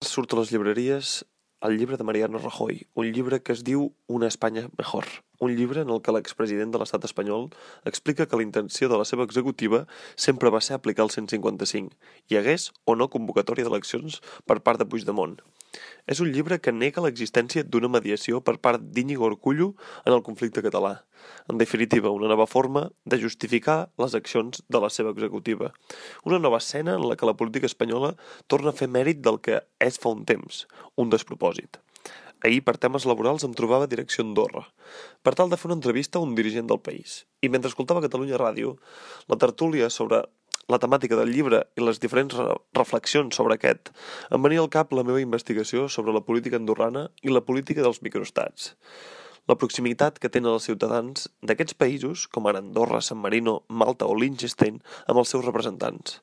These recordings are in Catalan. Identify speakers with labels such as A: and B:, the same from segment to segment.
A: Surt a les llibreries el llibre de Mariano Rajoy, un llibre que es diu Una Espanya mejor, un llibre en el que l'expresident de l'estat espanyol explica que la intenció de la seva executiva sempre va ser aplicar el 155, hi hagués o no convocatòria d'eleccions per part de Puigdemont. És un llibre que nega l'existència d'una mediació per part d'Íñigo Urkullu en el conflicte català. En definitiva, una nova forma de justificar les accions de la seva executiva. Una nova escena en la que la política espanyola torna a fer mèrit del que és fa un temps, un despropòsit. Ahir, per temes laborals, em trobava a direcció Andorra, per tal de fer una entrevista a un dirigent del país. I mentre escoltava Catalunya Ràdio, la tertúlia sobre la temàtica del llibre i les diferents reflexions sobre aquest, em venia al cap la meva investigació sobre la política andorrana i la política dels microestats. La proximitat que tenen els ciutadans d'aquests països, com ara Andorra, San Marino, Malta o Liechtenstein, amb els seus representants.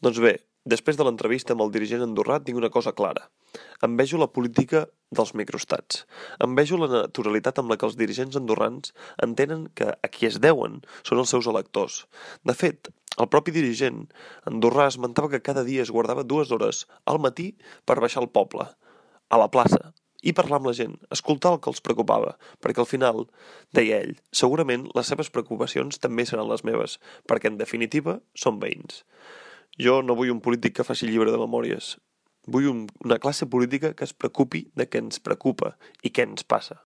A: Doncs bé, després de l'entrevista amb el dirigent andorrà tinc una cosa clara. Envejo la política dels microestats. Envejo la naturalitat amb la que els dirigents andorrans entenen que a qui es deuen són els seus electors. De fet, el propi dirigent andorrà esmentava que cada dia es guardava 2 hores al matí per baixar al poble, a la plaça, i parlar amb la gent, escoltar el que els preocupava, perquè al final, deia ell, segurament les seves preocupacions també seran les meves, perquè en definitiva són veïns. Jo no vull un polític que faci llibre de memòries. Vull una classe política que es preocupi de què ens preocupa i què ens passa.